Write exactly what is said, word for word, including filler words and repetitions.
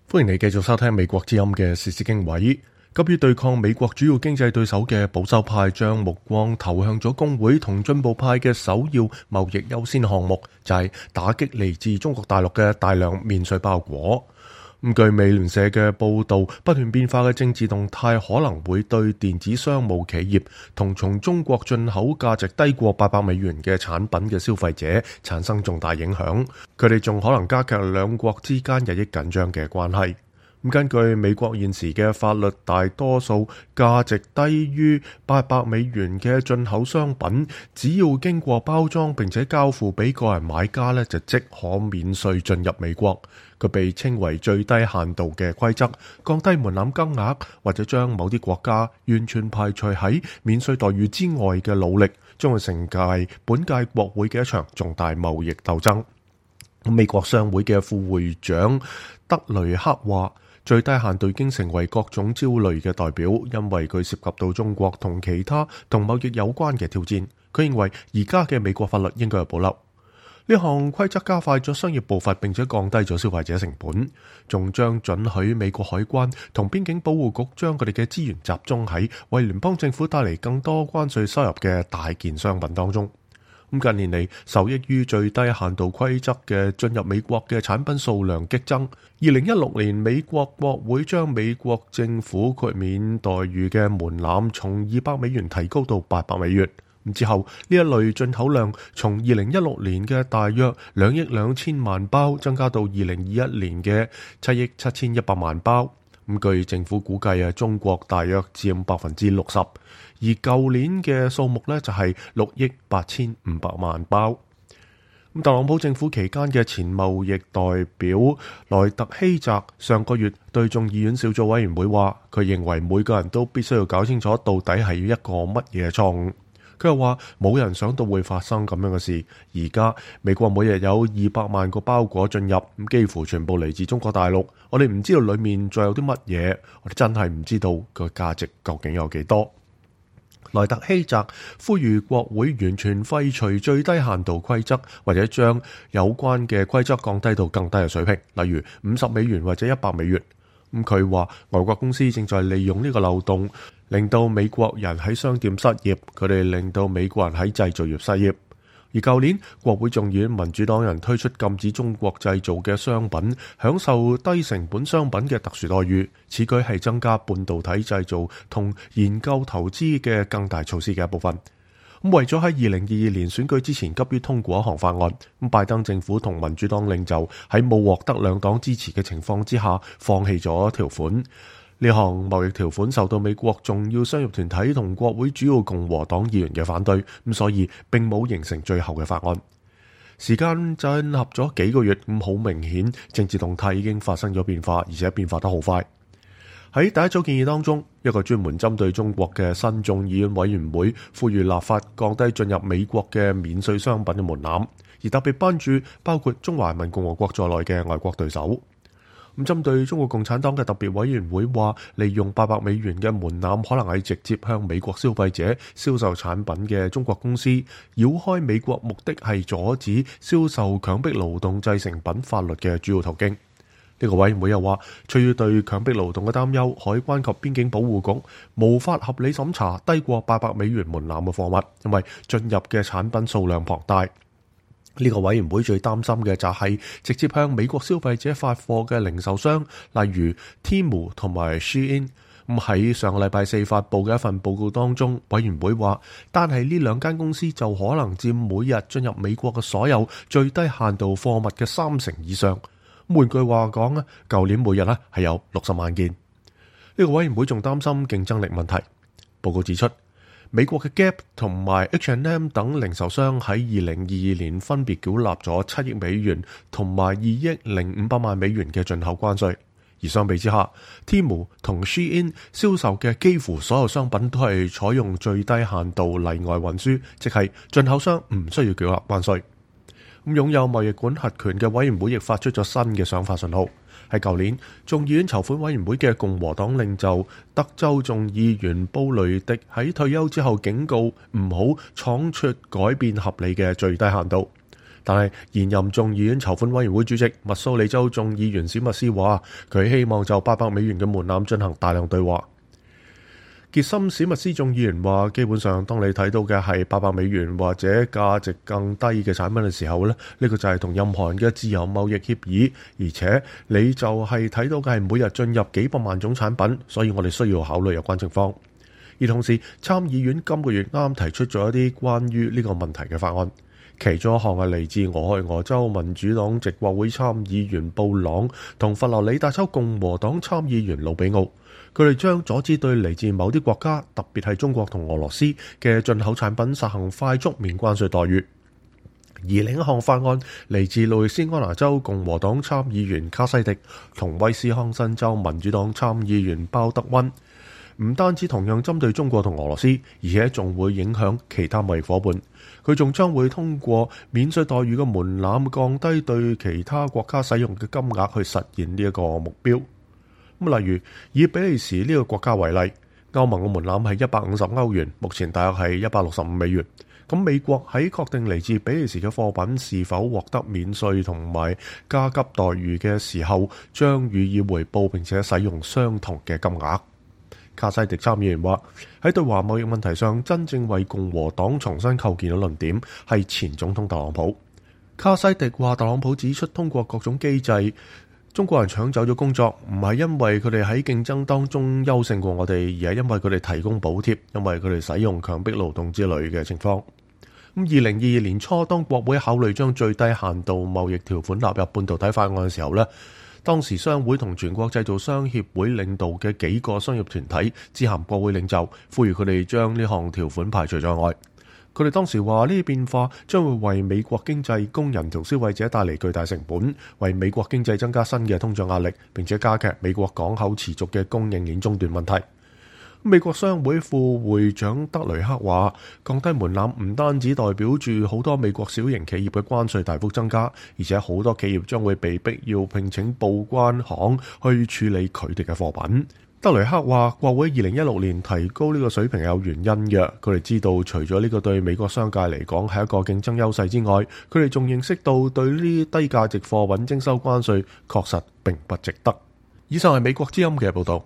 歡迎你繼續收聽美國之音嘅時事經緯。急於對抗美國主要經濟對手嘅保守派，將目光投向咗工會同進步派嘅首要貿易優先項目，就係打擊嚟自中國大陸嘅大量免稅包裹。咁據美聯社嘅報導，不斷變化嘅政治動態可能會對電子商務企業同從中國進口價值低過八百美元嘅產品嘅消費者產生重大影響，佢哋仲可能加劇兩國之間日益緊張嘅關係。根據美國現時嘅法律，大多數價值低於八百美元嘅進口商品，只要經過包裝並且交付俾個人買家呢，就即可免稅進入美國。佢被稱為最低限度嘅規則，降低門檻金額或者將某啲國家完全排除喺免稅待遇之外嘅努力，將會成屆本屆國會嘅一場重大貿易鬥爭。美國商會嘅副會長德雷克話，最低限度已經成為各種焦慮嘅代表，因為佢涉及到中國同其他同貿易有關嘅挑戰。佢認為而家嘅美國法律應該有保留。呢項規則加快咗商業步伐，並且降低咗消費者成本，仲將准許美國海關同邊境保護局將佢哋嘅資源集中喺為聯邦政府帶嚟更多關稅收入嘅大件商品當中。咁近年嚟，受益於最低限度規則嘅進入美國嘅產品數量激增。二零一六年，美國國會將美國政府豁免待遇嘅門檻從二百美元提高到八百美元。之後呢一類進口量從二零一六年嘅大約兩億兩千萬包增加到二零二一年嘅七億七千一百萬包。咁據政府估計啊，中國大約佔百分之六十，而舊年嘅數目呢就係六億八千五百萬包。咁特朗普政府期間嘅前貿易代表萊特希澤上個月對眾議院小組委員會話，佢認為每個人都必須要搞清楚到底係一個乜嘢錯誤。佢又話冇人想到會發生咁樣嘅事。而家美國每日有二百萬個包裹進入，咁幾乎全部嚟自中國大陸。我哋唔知道裡面仲有啲乜嘢，我哋真係唔知道個價值究竟有幾多。萊特希澤呼籲國會完全廢除最低限度規則，或者將有關嘅規則降低到更低嘅水平，例如五十美元或者一百美元。咁佢話外國公司正在利用呢個漏洞，令到美國人喺商店失業，佢哋令到美國人喺製造業失業。而舊年國會眾議院民主黨人推出禁止中國製造嘅商品享受低成本商品嘅特殊待遇，此舉係增加半導體製造同研究投資嘅更大措施嘅一部分。咁為咗喺二零二二年選舉之前急於通過一項法案，咁拜登政府同民主黨領袖喺冇獲得兩黨支持嘅情況之下，放棄咗條款。呢項貿易條款受到美國重要商業團體同國會主要共和黨議員嘅反對，咁所以並冇形成最後嘅法案。時間進入咗幾個月，咁好明顯政治動態已經發生咗變化，而且變化得好快。喺第一組建議當中，一個專門針對中國嘅新眾議院委員會呼籲立法降低進入美國嘅免稅商品嘅門檻，而特別關注包括中華人民共和國在內嘅外國對手。咁針對中國共產黨嘅特別委員會話，利用八百美元嘅門檻可能係直接向美國消費者銷售產品嘅中國公司繞開美國，目的係阻止銷售強迫勞動製成品法律嘅主要途徑。呢個委員會又話，出於對強迫勞動嘅擔憂，海關及邊境保護局無法合理審查低過八百美元門檻嘅貨物，因為進入嘅產品數量龐大。呢個委員會最擔心嘅就係直接向美國消費者發貨嘅零售商，例如 Temu 同埋 Shein。咁喺上個禮拜四發佈嘅一份報告當中，委員會話，單係呢兩間公司就可能佔每日進入美國嘅所有最低限度貨物嘅三成以上。換句話講咧，舊年每日咧係有六十萬件。呢個委員會仲擔心競爭力問題。報告指出，美國嘅 Gap 同埋 H and M 等零售商喺二零二二年分別繳納咗七億美元同埋二億零五百萬美元嘅進口關稅。而相比之下 Temu 同 Shein 銷售嘅幾乎所有商品都係採用最低限度例外運輸，即係進口商唔需要繳納關稅。咁擁有貿易管轄權嘅委員會亦發出咗新嘅想法信號。喺舊年，眾議院籌款委員會嘅共和黨領袖德州眾議員布雷迪喺退休之後警告唔好闖出改變合理嘅最低限度。但係現任眾議院籌款委員會主席密蘇里州眾議員史密斯話，佢希望就八百美元嘅門檻進行大量對話。傑森史密斯眾議員話，基本上當你睇到嘅係八百美元或者價值更低嘅產品嘅時候咧，呢個就係同任何人嘅自由貿易協議，而且你就係睇到嘅係每日進入幾百萬種產品，所以我哋需要考慮有關情況。而同時，參議院今個月啱提出咗一啲關於呢個問題嘅法案，其中一項係嚟自俄亥俄州民主黨籍國會參議員布朗同佛羅里達州共和黨參議員魯比奧。佢哋將阻止對嚟自某啲國家，特別係中國同俄羅斯嘅進口產品實行快速免關稅待遇。而另一項法案嚟自路易斯安那州共和黨參議員卡西迪同威斯康辛州民主黨參議員鮑德溫，唔單止同樣針對中國同俄羅斯，而且仲會影響其他貿易夥伴。佢仲將會通過免稅待遇嘅門檻，降低對其他國家使用嘅金額，去實現呢一個目標。咁例如以比利時呢個國家為例，歐盟嘅門檻係一百五十歐元，目前大約係一百六十五美元。咁美國喺確定嚟自比利時嘅貨品是否獲得免稅同埋加急待遇嘅時候，將予以回報並且使用相同嘅金額。卡西迪參議員話，喺對華貿易問題上，真正為共和黨重新構建嘅論點係前總統特朗普。卡西迪話，特朗普指出，通過各種機制，中國人搶走咗工作，唔係因為佢哋喺競爭當中優勝過我哋，而係因為佢哋提供補貼，因為佢哋使用強迫勞動之類嘅情況。咁二零二二年初，當國會考慮將最低限度貿易條款納入半導體法案嘅時候呢，當時商會同全國製造商協會領導嘅幾個商業團體致函國會領袖，呼籲佢哋將呢項條款排除在外。佢哋當時話，呢啲變化將會為美國經濟、工人同消費者帶嚟巨大成本，為美國經濟增加新嘅通脹壓力，並且加劇美國港口持續嘅供應鏈中斷問題。美國商會副會長德雷克話，降低門檻唔單止代表住好多美國小型企業嘅關稅大幅增加，而且好多企業將會被逼要聘請報關行去處理佢哋嘅貨品。德雷克話，國會二零一六年提高呢個水平有原因嘅，佢哋知道除咗呢個對美國商界嚟講係一個競爭優勢之外，佢哋仲認識到對呢啲低價值貨品徵收關稅確實並不值得。以上係美國之音嘅報道。